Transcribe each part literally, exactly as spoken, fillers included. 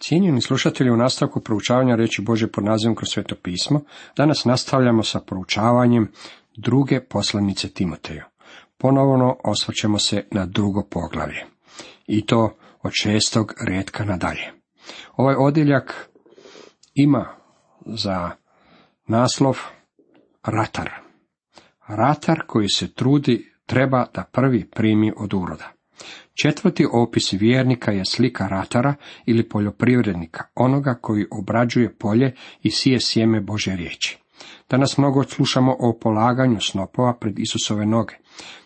Cijenjeni slušatelji, u nastavku proučavanja riječi Božje pod nazivom Kroz sveto pismo, danas nastavljamo sa proučavanjem druge poslanice Timoteju. Ponovno osvrćemo se na drugo poglavlje, i to od šestog retka nadalje. Ovaj odjeljak ima za naslov ratar. Ratar koji se trudi treba da prvi primi od uroda. Četvrti opis vjernika je slika ratara ili poljoprivrednika, onoga koji obrađuje polje i sije sjeme Božje riječi. Danas mnogo slušamo o polaganju snopova pred Isusove noge.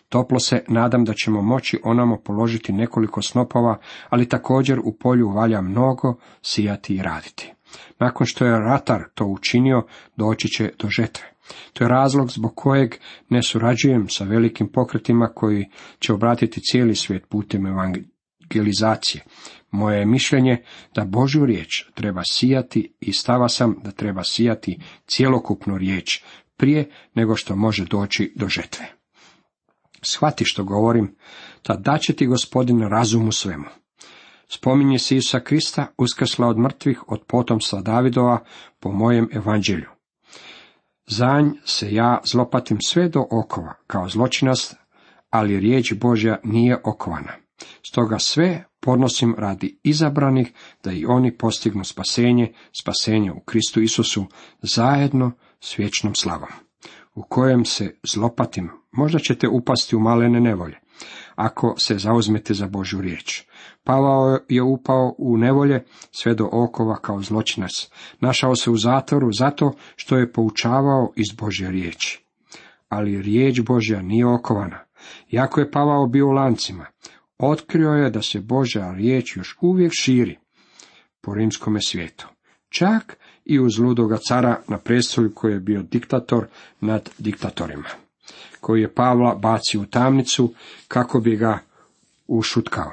Toplo se nadam da ćemo moći onamo položiti nekoliko snopova, ali također u polju valja mnogo sijati i raditi. Nakon što je ratar to učinio, doći će do žetve. To je razlog zbog kojeg ne surađujem sa velikim pokretima koji će obratiti cijeli svijet putem evangelizacije. Moje je mišljenje da Božju riječ treba sijati i stava sam da treba sijati cjelokupnu riječ prije nego što može doći do žetve. Shvati što govorim, tad daće ti Gospodin razum u svemu. Spominje se Isusa Krista, uskrsla od mrtvih od potomstva Davidova po mojem evanđelju. Za nj se ja zlopatim sve do okova, kao zločinac, ali riječ Božja nije okovana. Stoga sve podnosim radi izabranih, da i oni postignu spasenje, spasenje u Kristu Isusu, zajedno s vječnom slavom. U kojem se zlopatim, možda ćete upasti u malene nevolje, ako se zauzmete za Božju riječ. Pavao je upao u nevolje sve do okova kao zločinac. Našao se u zatvoru zato što je poučavao iz Božje riječi. Ali riječ Božja nije okovana. Iako je Pavao bio u lancima, otkrio je da se Božja riječ još uvijek širi po rimskome svijetu. Čak i uz ludoga cara na prestolju koji je bio diktator nad diktatorima, koji je Pavla bacio u tamnicu kako bi ga ušutkao.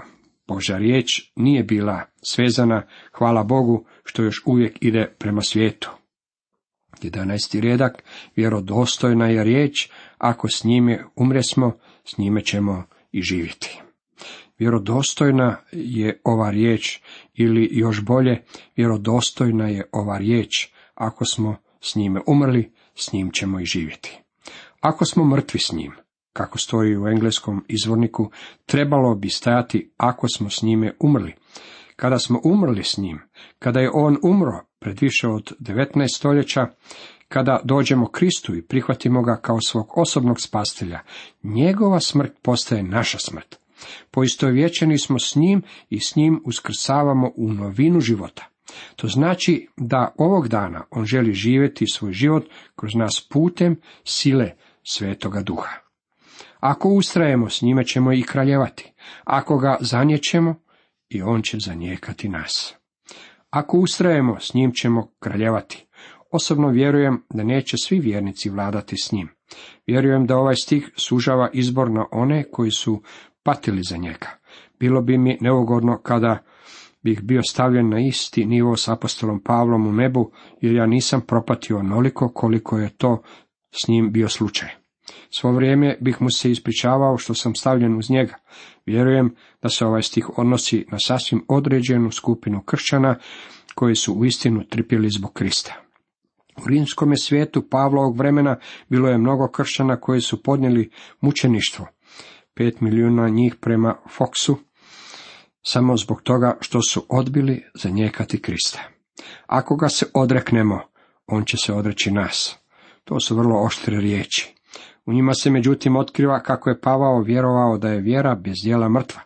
Božja riječ nije bila svezana, hvala Bogu, što još uvijek ide prema svijetu. jedanaesti redak, vjerodostojna je riječ, ako s njime umresmo, s njime ćemo i živjeti. Vjerodostojna je ova riječ, ili još bolje, vjerodostojna je ova riječ, ako smo s njime umrli, s njim ćemo i živjeti. Ako smo mrtvi s njim, kako stoji u engleskom izvorniku, trebalo bi stajati ako smo s njime umrli. Kada smo umrli s njim, kada je on umro pred više od devetnaest stoljeća, kada dođemo Kristu i prihvatimo ga kao svog osobnog spasitelja, njegova smrt postaje naša smrt. Poistovjećeni smo s njim i s njim uskrsavamo u novinu života. To znači da ovog dana on želi živjeti svoj život kroz nas putem sile Svetoga Duha. Ako ustrajemo, s njime ćemo i kraljevati. Ako ga zaniječemo, i on će zanijekati nas. Ako ustrajemo, s njim ćemo kraljevati. Osobno vjerujem da neće svi vjernici vladati s njim. Vjerujem da ovaj stih sužava izbor na one koji su patili za njega. Bilo bi mi neugodno kada bih bio stavljen na isti nivo s apostolom Pavlom u nebu, jer ja nisam propatio onoliko koliko je to s njim bio slučaj. Svo vrijeme bih mu se ispričavao što sam stavljen uz njega. Vjerujem da se ovaj stih odnosi na sasvim određenu skupinu kršćana koji su uistinu trpjeli zbog Krista. U rimskome svijetu Pavlovog vremena bilo je mnogo kršćana koji su podnijeli mučeništvo. Pet milijuna njih prema Foxu, samo zbog toga što su odbili zanijekati Krista. Ako ga se odreknemo, on će se odreći nas. To su vrlo oštre riječi. U njima se međutim otkriva kako je Pavao vjerovao da je vjera bez djela mrtva.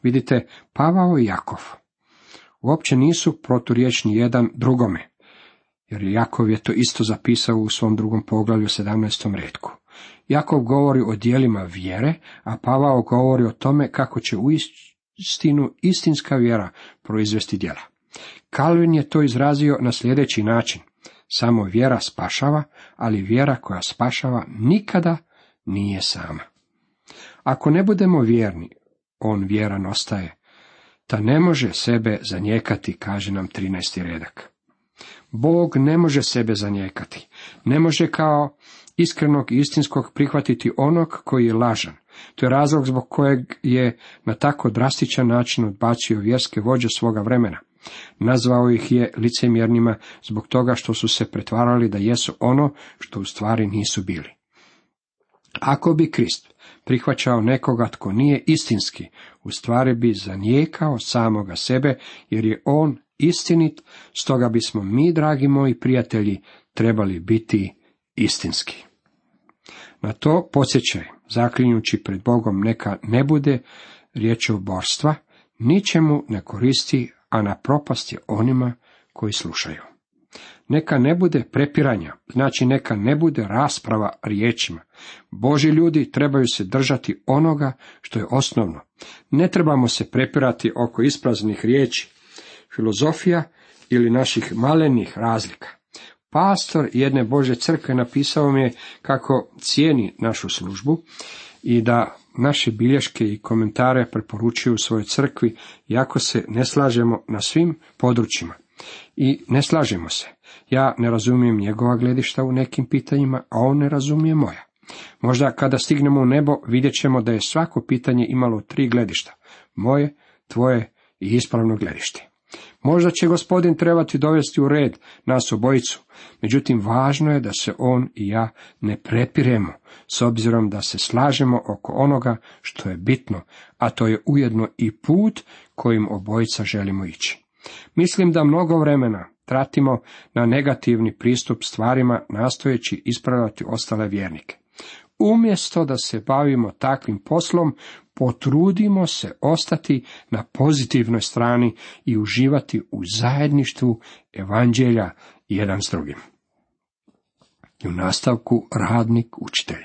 Vidite, Pavao i Jakov uopće nisu proturječni jedan drugome, jer Jakov je to isto zapisao u svom drugom poglavlju sedamnaestom retku. Jakov govori o djelima vjere, a Pavao govori o tome kako će uistinu istinska vjera proizvesti djela. Kalvin je to izrazio na sljedeći način: samo vjera spašava, ali vjera koja spašava nikada nije sama. Ako ne budemo vjerni, on vjeran ostaje, ta ne može sebe zanijekati, kaže nam trinaesti redak. Bog ne može sebe zanijekati, ne može kao iskrenog i istinskog prihvatiti onog koji je lažan. To je razlog zbog kojeg je na tako drastičan način odbacio vjerske vođe svoga vremena. Nazvao ih je licemjernima zbog toga što su se pretvarali da jesu ono što u stvari nisu bili. Ako bi Krist prihvaćao nekoga tko nije istinski, u stvari bi zanijekao samoga sebe, jer je on istinit, stoga bismo mi, dragi moji prijatelji, trebali biti istinski. Na to podsjećaj, zaklinjući pred Bogom, neka ne bude riječoborstva, ničemu ne koristi, a na propast je onima koji slušaju. Neka ne bude prepiranja, znači neka ne bude rasprava riječima. Božji ljudi trebaju se držati onoga što je osnovno. Ne trebamo se prepirati oko ispraznih riječi, filozofija ili naših malenih razlika. Pastor jedne Božje crkve napisao mi je kako cijeni našu službu i da naše bilješke i komentare preporučuju svojoj crkvi, iako se ne slažemo na svim područjima. I ne slažemo se. Ja ne razumijem njegova gledišta u nekim pitanjima, a on ne razumije moja. Možda kada stignemo u nebo vidjet ćemo da je svako pitanje imalo tri gledišta. Moje, tvoje i ispravno gledište. Možda će Gospodin trebati dovesti u red nas obojicu, međutim važno je da se on i ja ne prepiremo, s obzirom da se slažemo oko onoga što je bitno, a to je ujedno i put kojim obojica želimo ići. Mislim da mnogo vremena tratimo na negativni pristup stvarima, nastojeći ispravljati ostale vjernike. Umjesto da se bavimo takvim poslom, potrudimo se ostati na pozitivnoj strani i uživati u zajedništvu evanđelja jedan s drugim. I u nastavku radnik učitelj.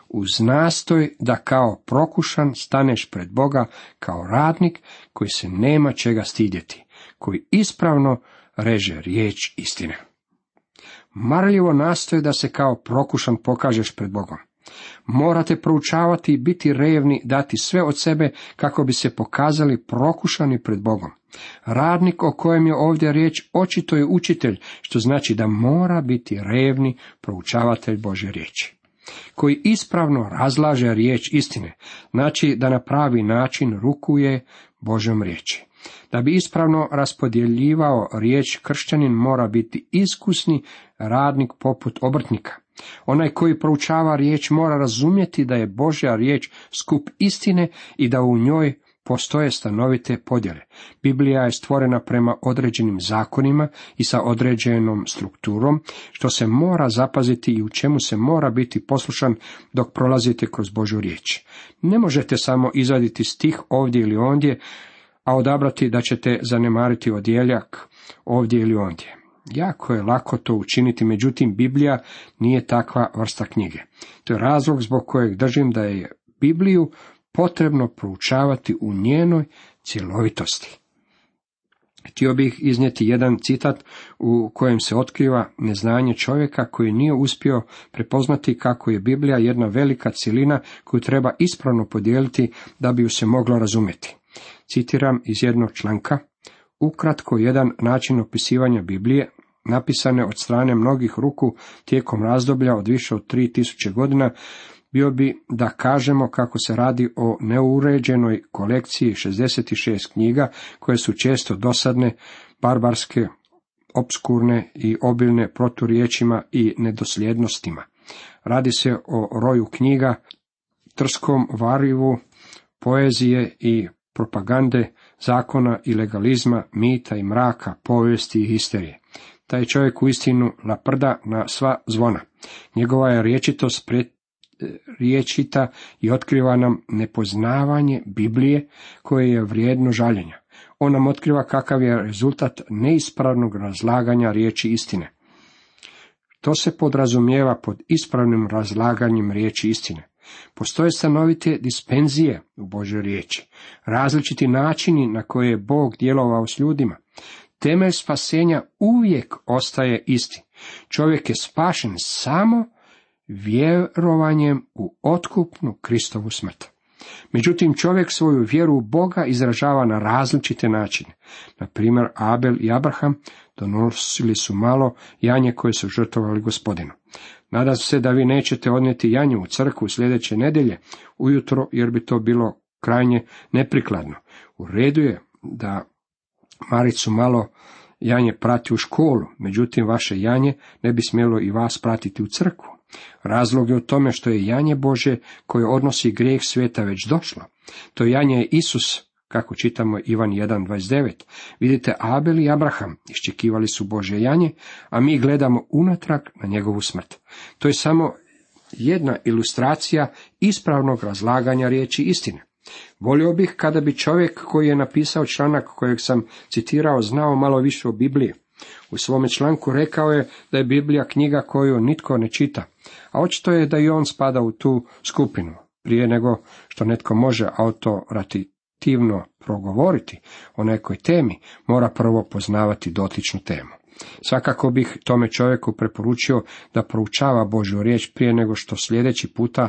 Uz nastoj da kao prokušan staneš pred Boga kao radnik koji se nema čega stidjeti, koji ispravno reže riječ istine. Marljivo nastoj da se kao prokušan pokažeš pred Bogom. Morate proučavati i biti revni, dati sve od sebe kako bi se pokazali prokušani pred Bogom. Radnik o kojem je ovdje riječ očito je učitelj, što znači da mora biti revni proučavatelj Božje riječi, koji ispravno razlaže riječ istine, znači da na pravi način rukuje Božjom riječi. Da bi ispravno raspodjeljivao riječ, kršćanin mora biti iskusni radnik poput obrtnika. Onaj koji proučava riječ mora razumjeti da je Božja riječ skup istine i da u njoj postoje stanovite podjele. Biblija je stvorena prema određenim zakonima i sa određenom strukturom, što se mora zapaziti i u čemu se mora biti poslušan dok prolazite kroz Božju riječ. Ne možete samo izvaditi stih ovdje ili ondje, a odabrati da ćete zanemariti odjeljak ovdje ili ondje. Jako je lako to učiniti, međutim Biblija nije takva vrsta knjige. To je razlog zbog kojeg držim da je Bibliju potrebno proučavati u njenoj cjelovitosti. Htio bih iznijeti jedan citat u kojem se otkriva neznanje čovjeka koji nije uspio prepoznati kako je Biblija jedna velika cjelina koju treba ispravno podijeliti da bi ju se moglo razumjeti. Citiram iz jednog članka: ukratko jedan način opisivanja Biblije, napisane od strane mnogih ruku tijekom razdoblja od više od tri tisuće godina, bio bi da kažemo kako se radi o neuređenoj kolekciji šezdeset šest knjiga koje su često dosadne, barbarske, opskurne i obilne proturječima i nedosljednostima. Radi se o roju knjiga, trskom varivu, poezije i propagande, zakona i legalizma, mita i mraka, povijesti i histerije. Taj čovjek uistinu laprda na sva zvona. Njegova je rječitost pred riječita i otkriva nam nepoznavanje Biblije koje je vrijedno žaljenja. On nam otkriva kakav je rezultat neispravnog razlaganja riječi istine. To se podrazumijeva pod ispravnim razlaganjem riječi istine. Postoje stanovite dispenzije u Božoj riječi, različiti načini na koje je Bog djelovao s ljudima. Temelj spasenja uvijek ostaje isti. Čovjek je spašen samo vjerovanjem u otkupnu Kristovu smrt. Međutim, čovjek svoju vjeru u Boga izražava na različite načine. Na primjer, Abel i Abraham donosili su malo janje koje su žrtvovali Gospodinu. Nadam se da vi nećete odnijeti janje u crkvu sljedeće nedjelje ujutro, jer bi to bilo krajnje neprikladno. U redu je da Maricu malo janje prati u školu, međutim vaše janje ne bi smjelo i vas pratiti u crkvu. Razlog je u tome što je janje Bože koje odnosi grijeh svijeta već došlo. To janje je Isus, kako čitamo Ivan jedan dvadeset devet. Vidite, Abel i Abraham iščekivali su Božje janje, a mi gledamo unatrag na njegovu smrt. To je samo jedna ilustracija ispravnog razlaganja riječi istine. Volio bih kada bi čovjek koji je napisao članak kojeg sam citirao znao malo više o Bibliji. U svome članku rekao je da je Biblija knjiga koju nitko ne čita, a očito je da i on spada u tu skupinu. Prije nego što netko može autoritativno progovoriti o nekoj temi, mora prvo poznavati dotičnu temu. Svakako bih tome čovjeku preporučio da proučava Božju riječ prije nego što sljedeći puta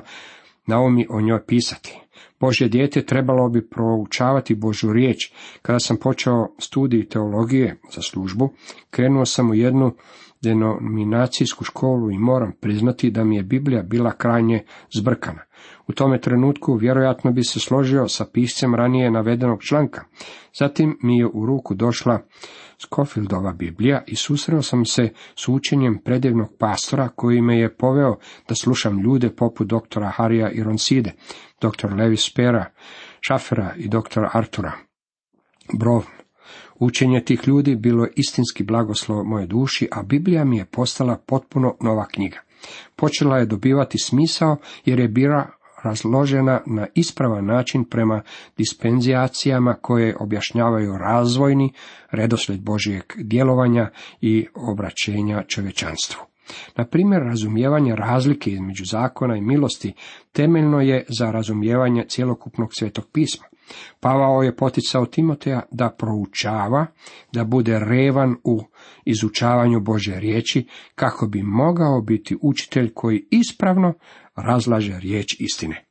naumi o njoj pisati. Božje dijete trebalo bi proučavati Božju riječ. Kada sam počeo studij teologije za službu, krenuo sam u jednu denominacijsku školu i moram priznati da mi je Biblija bila krajnje zbrkana. U tome trenutku vjerojatno bi se složio sa piscem ranije navedenog članka. Zatim mi je u ruku došla Scofieldova Biblija i susreo sam se s učenjem predivnog pastora koji me je poveo da slušam ljude poput doktora Harija Ironside, doktor Levi Spera, Šafera i doktora Artura Brown. Učenje tih ljudi bilo je istinski blagoslov moje duši, a Biblija mi je postala potpuno nova knjiga. Počela je dobivati smisao jer je bila razložena na ispravan način prema dispenzacijama koje objašnjavaju razvojni redoslijed Božjeg djelovanja i obraćenja čovječanstvu. Na primjer, razumijevanje razlike između zakona i milosti temeljno je za razumijevanje cjelokupnog Svetog pisma. Pavao je poticao Timoteja da proučava, da bude revan u izučavanju Božje riječi, kako bi mogao biti učitelj koji ispravno razlaže riječ istine.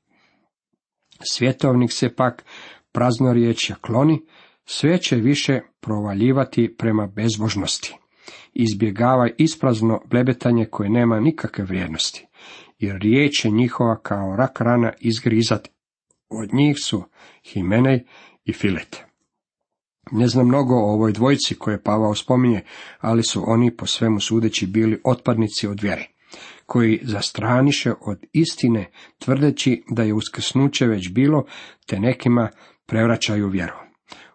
Svjetovnik se pak praznorječja kloni, sve će više provaljivati prema bezbožnosti. Izbjegava isprazno blebetanje koje nema nikakve vrijednosti, jer riječ je njihova kao rak rana izgrizati. Od njih su Himenej i Filet. Ne znam mnogo o ovoj dvojici koje Pavao spominje, ali su oni po svemu sudeći bili otpadnici od vjere, koji zastraniše od istine tvrdeći da je uskrsnuće već bilo, te nekima prevraćaju vjeru.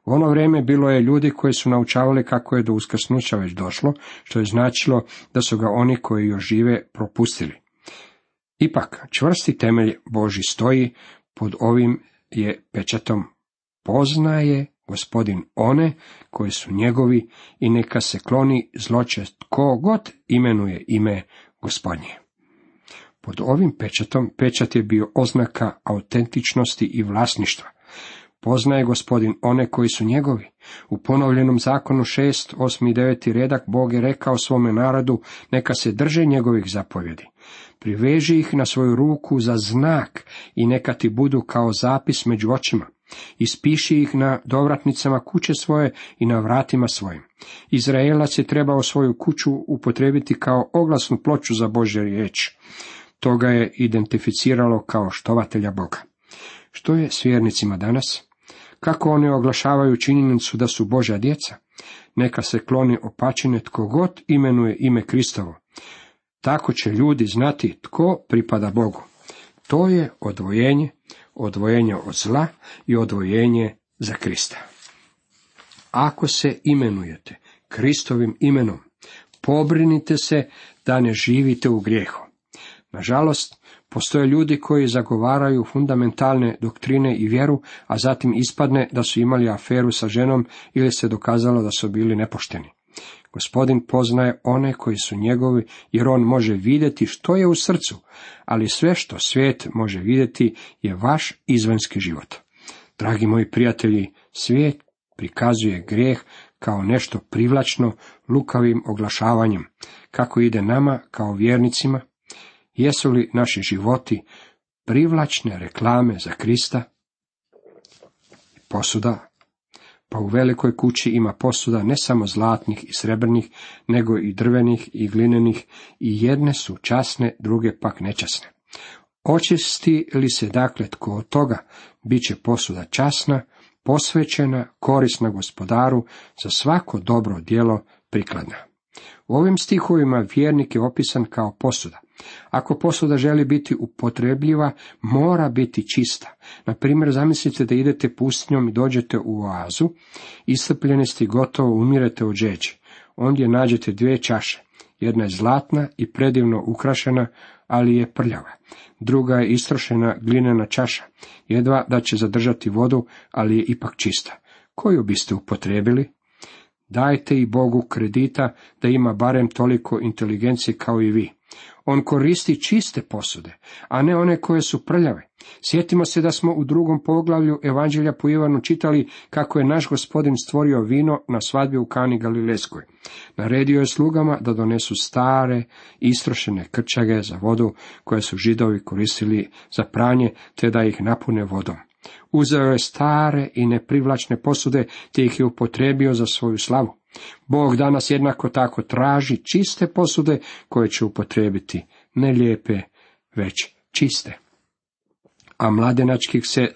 U ono vrijeme bilo je ljudi koji su naučavali kako je do uskrsnuća već došlo, što je značilo da su ga oni koji još žive propustili. Ipak, čvrsti temelj Božji stoji, pod ovim je pečatom: poznaje Gospodin one koji su njegovi i neka se kloni zločest tko god imenuje ime Gospodnje. Pod ovim pečatom, pečat je bio oznaka autentičnosti i vlasništva. Poznaje Gospodin one koji su njegovi. U ponovljenom zakonu šest, osmi i deveti redak Bog je rekao svome narodu neka se drže njegovih zapovjedi. Priveži ih na svoju ruku za znak i neka ti budu kao zapis među očima. Ispiši ih na dovratnicama kuće svoje i na vratima svojim. Izraelac je trebao svoju kuću upotrijebiti kao oglasnu ploču za Božju riječ. To ga je identificiralo kao štovatelja Boga. Što je s vjernicima danas? Kako oni oglašavaju činjenicu da su Božja djeca? Neka se kloni opačine tko god imenuje ime Kristovo. Tako će ljudi znati tko pripada Bogu. To je odvojenje, odvojenje od zla i odvojenje za Krista. Ako se imenujete Kristovim imenom, pobrinite se da ne živite u grijehu. Nažalost, postoje ljudi koji zagovaraju fundamentalne doktrine i vjeru, a zatim ispadne da su imali aferu sa ženom ili se dokazalo da su bili nepošteni. Gospodin poznaje one koji su njegovi, jer on može vidjeti što je u srcu, ali sve što svijet može vidjeti je vaš izvanjski život. Dragi moji prijatelji, svijet prikazuje grijeh kao nešto privlačno lukavim oglašavanjem. Kako ide nama kao vjernicima? Jesu li naši životi privlačne reklame za Krista? Posuda. Pa u velikoj kući ima posuda ne samo zlatnih i srebrnih, nego i drvenih i glinenih, i jedne su časne, druge pak nečasne. Očisti li se dakle tko od toga, bit će posuda časna, posvećena, korisna Gospodaru, za svako dobro djelo prikladna. U ovim stihovima vjernik je opisan kao posuda. Ako posuda želi biti upotrebljiva, mora biti čista. Na primjer, zamislite da idete pustinjom i dođete u oazu, iscrpljeni ste i gotovo umirete od žeđi. Ondje nađete dvije čaše. Jedna je zlatna i predivno ukrašena, ali je prljava. Druga je istrošena glinena čaša, jedva da će zadržati vodu, ali je ipak čista. Koju biste upotrijebili? Dajte i Bogu kredita da ima barem toliko inteligencije kao i vi. On koristi čiste posude, a ne one koje su prljave. Sjetimo se da smo u drugom poglavlju Evanđelja po Ivanu čitali kako je naš Gospodin stvorio vino na svadbi u Kani Galilejskoj. Naredio je slugama da donesu stare, istrošene krčage za vodu koje su Židovi koristili za pranje, te da ih napune vodom. Uzeo je stare i neprivlačne posude, te ih je upotrijebio za svoju slavu. Bog danas jednako tako traži čiste posude koje će upotrijebiti, ne lijepe, već čiste. A mladenačkih se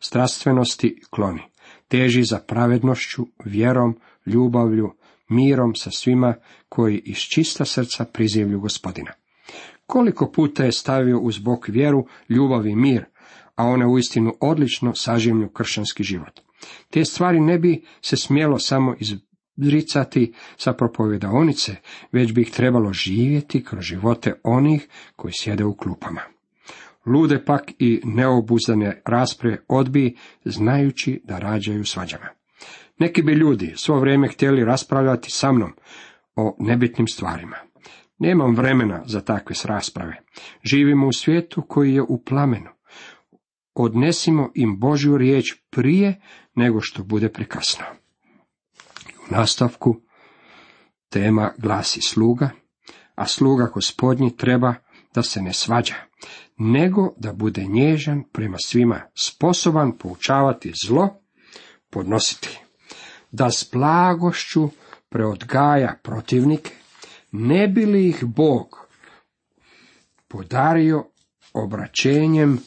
strastvenosti kloni. Teži za pravednošću, vjerom, ljubavlju, mirom sa svima koji iz čista srca prizivlju Gospodina. Koliko puta je stavio uz bok vjeru, ljubav i mir, a one uistinu odlično sažimlju kršćanski život. Te stvari ne bi se smjelo samo izricati sa propovjedaonice, već bi ih trebalo živjeti kroz živote onih koji sjede u klupama. Lude pak i neobuzdane rasprave odbij, znajući da rađaju svađama. Neki bi ljudi svo vrijeme htjeli raspravljati sa mnom o nebitnim stvarima. Nemam vremena za takve rasprave. Živimo u svijetu koji je u plamenu. Odnesimo im Božju riječ prije nego što bude prekasno. U nastavku tema glasi sluga, a sluga Gospodnji treba da se ne svađa, nego da bude nježan prema svima, sposoban poučavati zlo, podnositi, da s blagošću preodgaja protivnike, ne bi li ih Bog podario obraćenjem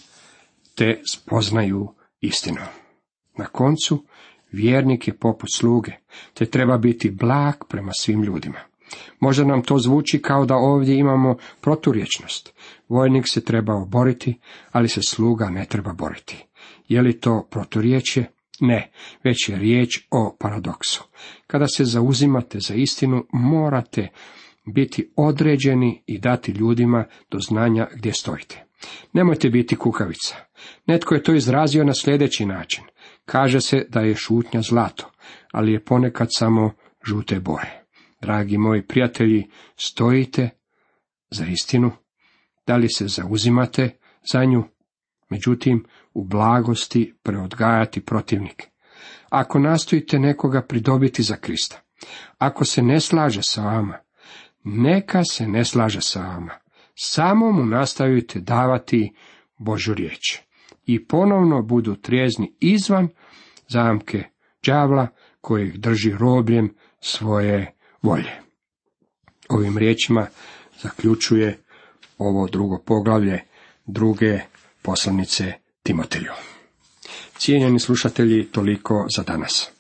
te spoznaju istinu. Na koncu, vjernik je poput sluge, te treba biti blag prema svim ljudima. Možda nam to zvuči kao da ovdje imamo proturječnost. Vojnik se treba boriti, ali se sluga ne treba boriti. Je li to proturječje? Ne, već je riječ o paradoksu. Kada se zauzimate za istinu, morate biti određeni i dati ljudima do znanja gdje stojite. Nemojte biti kukavica. Netko je to izrazio na sljedeći način. Kaže se da je šutnja zlato, ali je ponekad samo žute boje. Dragi moji prijatelji, stojite za istinu? Da li se zauzimate za nju? Međutim, u blagosti preodgajati protivnike. Ako nastojite nekoga pridobiti za Krista, ako se ne slaže sa vama, neka se ne slaže sa vama. Samo mu nastavite davati Božju riječ. I ponovno budu trijezni izvan zamke đavla koji ih drži robljem svoje volje. Ovim riječima zaključuje ovo drugo poglavlje druge poslanice Timoteju. Cijenjeni slušatelji, toliko za danas.